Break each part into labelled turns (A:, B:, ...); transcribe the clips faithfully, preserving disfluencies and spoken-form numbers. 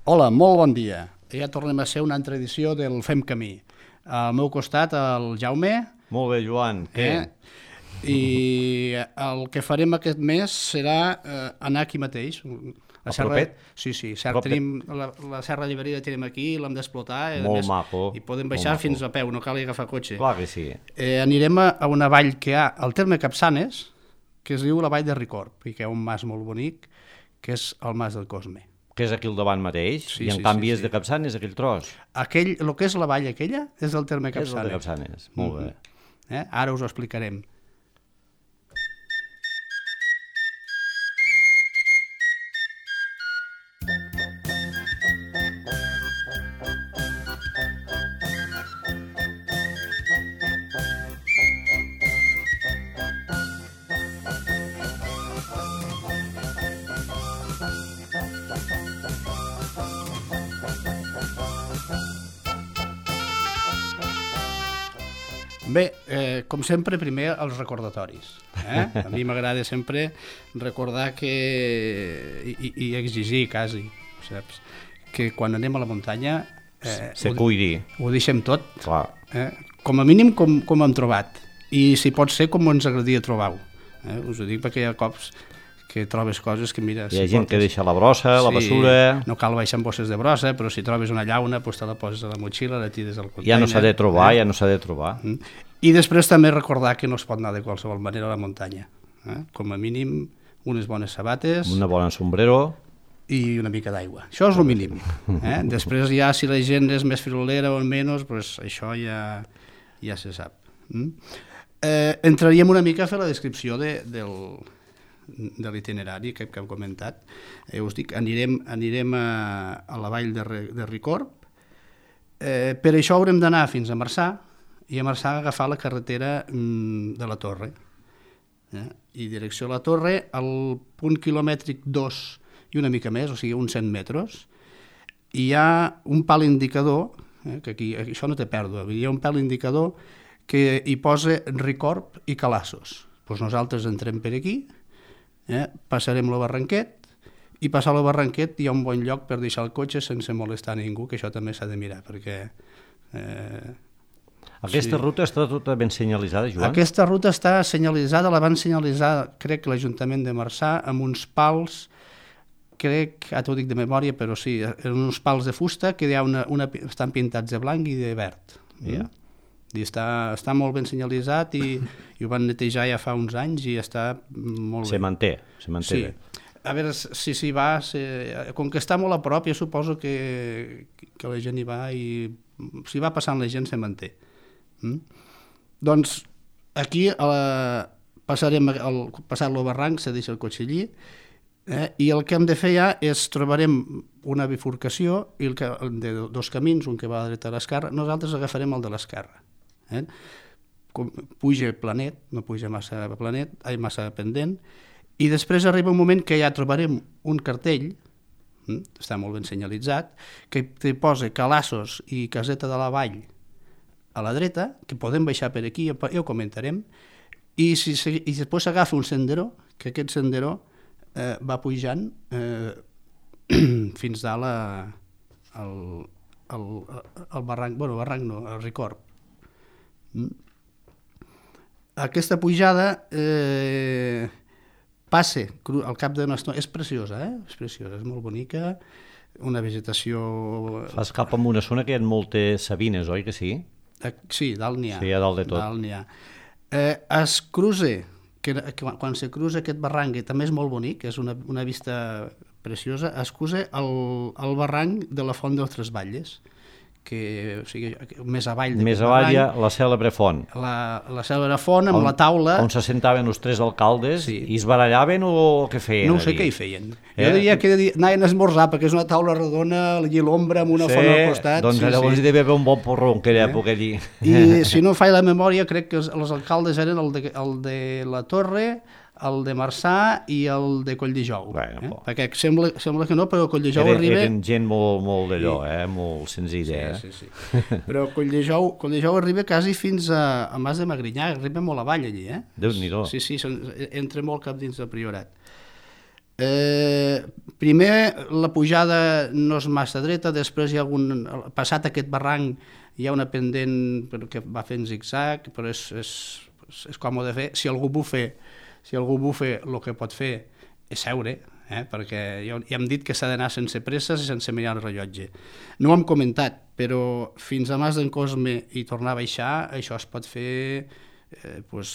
A: Hola, molt bon dia. Ja tornem a ser una altra edició del Fem Camí. Al meu costat, el Jaume.
B: Molt bé, Joan. Què?
A: Eh? I el que farem aquest mes serà eh, anar aquí mateix.
B: A propet?
A: Sí, sí. Cert, tenim la, la Serra Lliberida tenim aquí, l'hem d'explotar.
B: Molt més, maco.
A: I podem baixar fins a peu, no cal agafar cotxe.
B: Clar que sí.
A: Eh, anirem a, a una vall que hi ha al terme Capçanes, que es diu la vall de Ricorb, i que hi ha un mas molt bonic, que és el mas del Cosme.
B: Que és aquí al davant mateix,
A: sí,
B: i en
A: sí,
B: canvi
A: sí,
B: és
A: sí.
B: de Capçanes, aquell tros.
A: Aquell, el que és la vall aquella és del terme Capçanes.
B: És el de Capçanes, molt mm-hmm. bé.
A: Eh? Ara us ho explicarem. Bé, eh, com sempre, primer els recordatoris. Eh? A mi m'agrada sempre recordar que, i, i exigir quasi, saps? Que quan anem a la muntanya eh,
B: se cuidi.
A: Ho, ho deixem tot,
B: clar.
A: Eh? Com a mínim com, com hem trobat, i si pot ser com ens agradaria trobar-ho. Eh? Us ho dic perquè hi ha cops que trobes coses que, mira...
B: Hi ha
A: si
B: gent
A: portes...
B: que deixa la brossa, sí, la bessura...
A: No cal baixar amb bosses de brossa, però si trobes una llauna, doncs te la poses a la motxilla, la tires al container...
B: Ja no s'ha de trobar, eh? ja no s'ha de trobar.
A: Mm. I després també recordar que no es pot anar de qualsevol manera a la muntanya. Eh? Com a mínim, unes bones sabates...
B: Una bona sombrero...
A: I una mica d'aigua. Això és el mínim. Eh? Després ja, si la gent és més firolera o menys, doncs això ja, ja se sap. Mm? Eh, entraríem una mica a fer la descripció de, del... de l'itinerari que, que hem comentat. Eh, us dic, anirem, anirem a, a la vall de, de Ricorb. Eh, per això haurem d'anar fins a Marçà i a Marçà agafar la carretera mm, de la Torre. Eh? I direcció a la Torre, al punt quilomètric dos i una mica més, o sigui, uns cent metres, hi ha un pal indicador, eh, que aquí, aquí això no té pèrdua, hi ha un pal indicador que hi posa Ricorb i Calassos. Doncs nosaltres entrem per aquí, Eh? passarem el barranquet i passar el barranquet hi ha un bon lloc per deixar el cotxe sense molestar ningú, que això també s'ha de mirar perquè eh,
B: aquesta sí. ruta està tota ben senyalitzada, Joan?
A: Aquesta ruta està senyalitzada, la van senyalitzar crec que l'Ajuntament de Marçà amb uns pals, crec, ara t'ho dic de memòria, però sí, uns pals de fusta que hi ha una, una, estan pintats de blanc i de verd.
B: Ja.
A: Mm? I està, està molt ben senyalitzat i, i ho van netejar ja fa uns anys i està molt bé.
B: Se manté, se manté
A: sí.
B: bé.
A: A veure si s'hi va, si, com que està molt a prop, jo suposo que, que la gent hi va i si va passant la gent se manté. Mm? Doncs aquí a la, passarem el, passar-lo al barranc, se deixa el cotxe allí, eh, i el que hem de fer ja és trobarem una bifurcació i el que, de dos camins, un que va a la dreta a l'esquerra, nosaltres agafarem el de l'esquerra. Eh? Puja planet, no puja massa planet, ai, massa pendent, i després arriba un moment que ja trobarem un cartell, hm? està molt ben senyalitzat, que te posa Calassos i Caseta de la Vall a la dreta, que podem baixar per aquí, ja ho comentarem, i, si, i després s'agafa un senderó, que aquest senderó eh, va pujant eh, fins dalt a, al, al, al barranc, bueno, barranc no, al Ricorb. Aquesta pujada eh, passa al cap d'una estona, és preciosa, eh? és preciosa, és molt bonica, una vegetació...
B: Fas cap a una zona que hi ha moltes sabines, oi que sí?
A: Eh, sí, dalt n'hi ha.
B: Sí, a dalt de tot.
A: Dalt n'hi ha. Eh, es cruza, que, que quan se cruza aquest barranc, que també és molt bonic, és una, una vista preciosa, es cruza el, el barranc de la Font dels Tres Batlles, que, o sigui, més avall
B: més avall hi ha la cèlebre font
A: la, la cèlebre font amb on, la taula
B: on se sentaven els tres alcaldes, sí. I es barallaven o què feien?
A: No sé què hi feien, eh? Jo diria que anaven a esmorzar perquè és una taula rodona allí l'ombra amb una sí, font al costat
B: doncs
A: sí,
B: llavors
A: sí.
B: Hi devia haver un bon porró en aquella eh? època allí
A: i si no faig la memòria crec que els, els alcaldes eren el de, el de la Torre, el de Marçà i el de Colldejou, bueno, eh? perquè sembla, sembla que no, però Colldejou
B: Era,
A: arriba...
B: Eren gent molt, molt d'allò, eh? molt senzilla.
A: Sí, sí, sí. Però Colldejou, Colldejou arriba quasi fins a, a Mas de Magrinyà, arriba molt avall allí. Eh?
B: Déu-n'hi-do.
A: Sí, sí, són, entra molt cap dins del Priorat. Eh, primer, la pujada no és massa dreta, després hi ha algun... Passat aquest barranc hi ha una pendent que va fent zig-zag, però és, és, és còmode fer. Si algú bufa, si algú bufa, el que pot fer és seure, eh? Perquè ja, ja hem dit que s'ha d'anar sense presses i sense mirar el rellotge. No ho hem comentat, però fins a Mas d'en Cosme i tornar a baixar, això es pot fer... Eh, pues,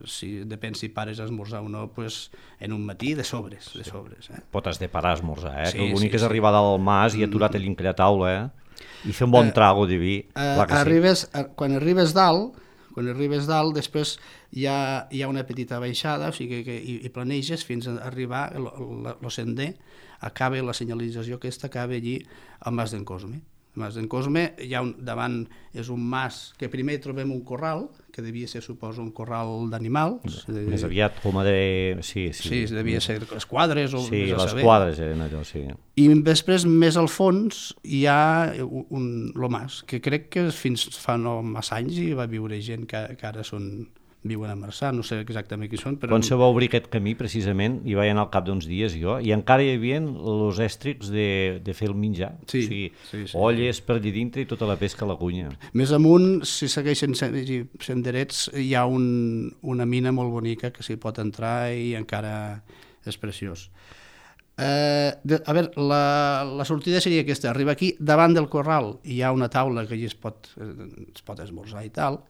A: si, depèn si pares a esmorzar o no, pues, en un matí de sobres, de sobres eh?
B: Pot has de parar a esmorzar, eh?
A: Sí,
B: que l'únic
A: sí,
B: és
A: sí.
B: arribar dalt al mas i aturar-te mm. a taula, eh? I fer un bon trago de vi.
A: Eh,
B: Clar que
A: arribes,
B: sí.
A: Quan arribes dalt, quan arribes dalt, després hi ha, hi ha una petita baixada, o sigui que hi, hi planeges fins a arribar, el sender, acaba la senyalització aquesta, acaba allí al Mas d'en Cosme. Mas d'en Cosme, hi ha un, davant és un mas que primer trobem un corral, que devia ser, suposo, un corral d'animals.
B: Més aviat com a de... Sí, sí.
A: Sí, devia ser les quadres o...
B: Sí, les
A: saber.
B: quadres eren allò, sí.
A: I després, més al fons, hi ha un, lo mas, que crec que fins fa no massa anys hi va viure gent que, que ara són... viuen a Marçà, no sé exactament qui són, però...
B: Quan se va obrir aquest camí, precisament, hi vaig anar al cap d'uns dies jo, i encara hi havia els èstrics de, de fer el menjar.
A: Sí,
B: o sigui,
A: sí, sí.
B: olles per allà dintre i tota la pesca a la cunya.
A: Més amunt, si segueixen senderets, hi ha un, una mina molt bonica que s'hi pot entrar i encara és preciós. Eh, de, a veure, la, la sortida seria aquesta, arriba aquí, davant del corral hi ha una taula que allà es pot, es pot esmorzar i tal,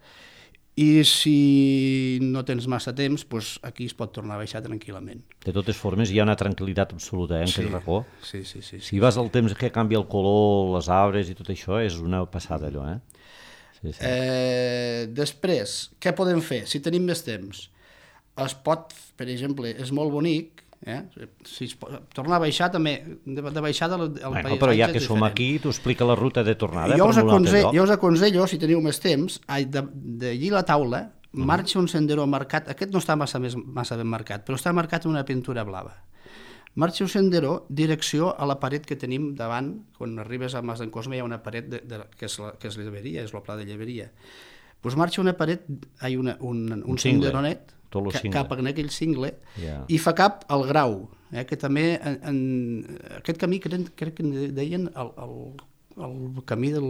A: i si no tens massa temps, doncs aquí es pot tornar a baixar tranquil·lament.
B: De totes formes, hi ha una tranquil·litat absoluta eh, en
A: sí,
B: aquest racó.
A: Sí, sí, sí, sí.
B: Si vas al temps que canvia el color, les arbres i tot això, és una passada allò, eh? Sí, sí.
A: Eh, després, què podem fer? Si tenim més temps, es pot, per exemple, és molt bonic, eh? Si es pot, tornar a baixar també, de, de baixada el, el
B: bueno,
A: paisatge
B: però ja
A: és
B: que som
A: diferent.
B: aquí, t'ho explica la ruta de tornada.
A: Jo
B: per
A: us,
B: un altre
A: aconsello,
B: lloc.
A: jo us aconsello, si teniu més temps, d'allí la taula, uh-huh. marxa un sendero marcat, aquest no està massa, més, massa ben marcat, però està marcat amb una pintura blava. Marxa un sendero, direcció a la paret que tenim davant, quan arribes a Mas d'en Cosme hi ha una paret de, de, que és la, que és lleberia, és el pla de lleberia. Doncs marxa una paret, hi ha una, un, un, un senderonet, ca, cap en aquell cingle, yeah. i fa cap al Grau, eh, que també en, en aquest camí crec, crec que deien el, el, el camí del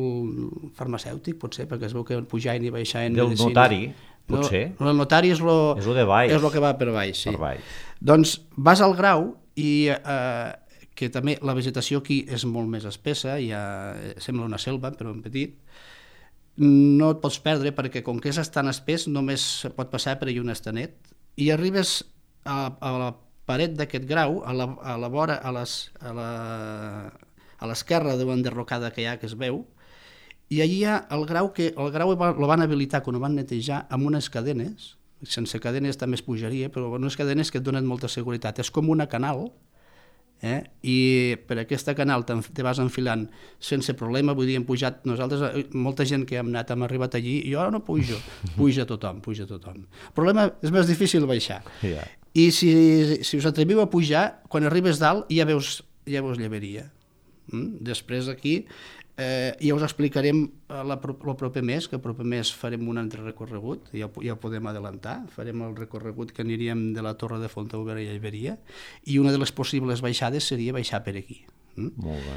A: farmacèutic, potser, perquè es veu que pujaven i baixaven
B: del
A: medicina.
B: Notari, potser.
A: No, el notari és lo,
B: és lo de baix.
A: És lo que va per baix, sí.
B: Per baix.
A: Doncs vas al Grau i eh, que també la vegetació aquí és molt més espessa, ja sembla una selva, però en petit, no et pots perdre perquè com que és tan espès només pot passar per allà un estanet i arribes a, a la paret d'aquest grau, a la, a la vora, a les, a la, a l'esquerra de l'enderrocada que hi ha, que es veu, i allà hi ha el grau que el grau el van habilitar quan ho van netejar amb unes cadenes, sense cadenes també es pujaria, però unes cadenes que et donen molta seguretat, és com una canal, eh? I per aquesta canal te vas enfilant sense problema, vull dir, hem pujat nosaltres, molta gent que hem anat, hem arribat allí, i jo no pujo, puja tothom, puja tothom. El problema és més difícil baixar. Yeah. I si, si us atreviu a pujar, quan arribes dalt ja veus, ja veus lleberia. Mm? Després aquí eh, ja us explicarem el proper mes, que el proper mes farem un altre recorregut, ja, ja ho podem adelantar, farem el recorregut que aniríem de la Torre de Fontauber a Lleberia, i una de les possibles baixades seria baixar per aquí. Mm?
B: Molt bé.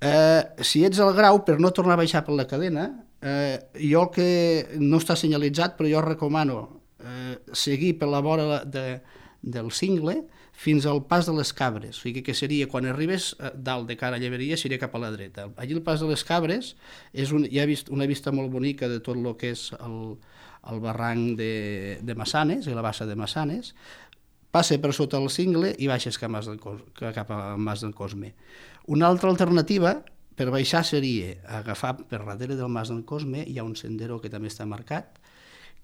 A: Eh, si ets al Grau, per no tornar a baixar per la cadena, eh, jo el que no està senyalitzat, però jo recomano eh, seguir per la vora de, del cingle fins al pas de les Cabres, o sigui que seria quan arribes dalt de cara a Lleberia seria cap a la dreta. Allí el pas de les Cabres és un, hi ha vist, una vista molt bonica de tot el que és el, el barranc de, de Massanes i la bassa de Massanes, passa per sota el cingle i baixes cap, Mas del, cap a Mas d'en Cosme. Una altra alternativa per baixar seria agafar per darrere del Mas d'en Cosme, hi ha un sendero que també està marcat,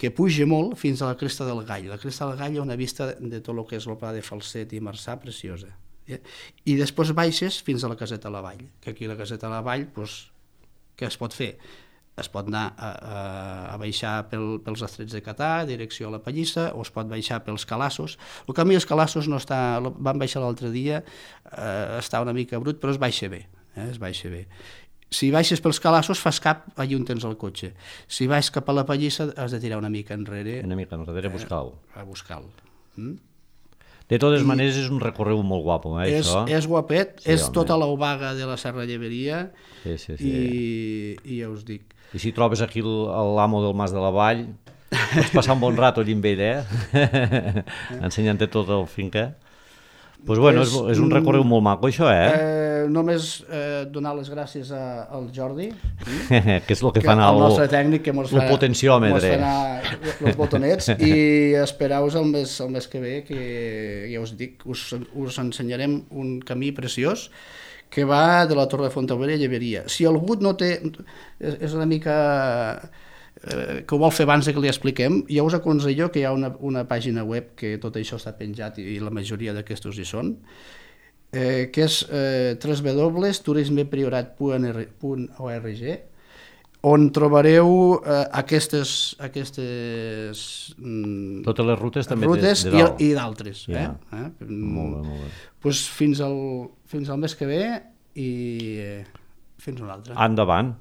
A: que puja molt fins a la Cresta del Gall. La Cresta del Gall hi ha una vista de tot el que és el pla de Falset i Marçà preciosa. Eh? I després baixes fins a la Caseta a la Vall, que aquí la Caseta a la Vall, doncs, què es pot fer? Es pot anar a, a, a baixar pel, pels Estrets de Catà, direcció a la Pallissa, o es pot baixar pels Calassos. El camí dels Calassos no està... Vam baixar l'altre dia, eh, està una mica brut, però es baixa bé. Eh? Es baixa bé. Si baixes pels Calassos fas cap allà on tens el cotxe. Si baix cap a la Pallissa has de tirar una mica enrere.
B: Una mica enrere a buscar-lo.
A: Eh, a buscar-lo. Mm?
B: De totes
A: I
B: maneres és un recorregut molt guapo, eh,
A: és,
B: això.
A: és guapet,
B: Sí,
A: és
B: home.
A: tota l'obaga de la Serra Lleberia
B: Sí, sí, sí.
A: i, i ja us dic.
B: I si trobes aquí el- l'amo del Mas de la Vall, pots passar un bon rato allà amb ell, eh? Ensenyant-te tot el finca. Doncs pues bueno, és,
A: És,
B: és un recorregut molt maco, això, eh?
A: Eh, només eh, donar les gràcies a, al Jordi,
B: que és el que
A: que
B: fa anar
A: el
B: el,
A: nostre tècnic, que mos
B: el
A: fa,
B: potenciòmetre.
A: mos fa anar els botonets, i espereu-vos el mes, el mes que ve, que ja us dic, us, us ensenyarem un camí preciós que va de la Torre de Fontaubella a Lleberia. Si algú no té... És, és una mica... Eh, que ho vol fer abans de que li expliquem, jo us aconsello que hi ha una, una pàgina web que tot això està penjat i, i la majoria d'aquestos hi són, eh, que és eh, w w w punt turismepriorat punt org, on trobareu eh, aquestes, aquestes mm,
B: Totes les rutes també
A: rutes
B: de, de dalt.
A: i, i d'altres.
B: Ja.
A: Eh? Eh?
B: Molt bé, molt bé.
A: Pues fins, al, fins al mes que ve i eh, fins un altre.
B: Endavant.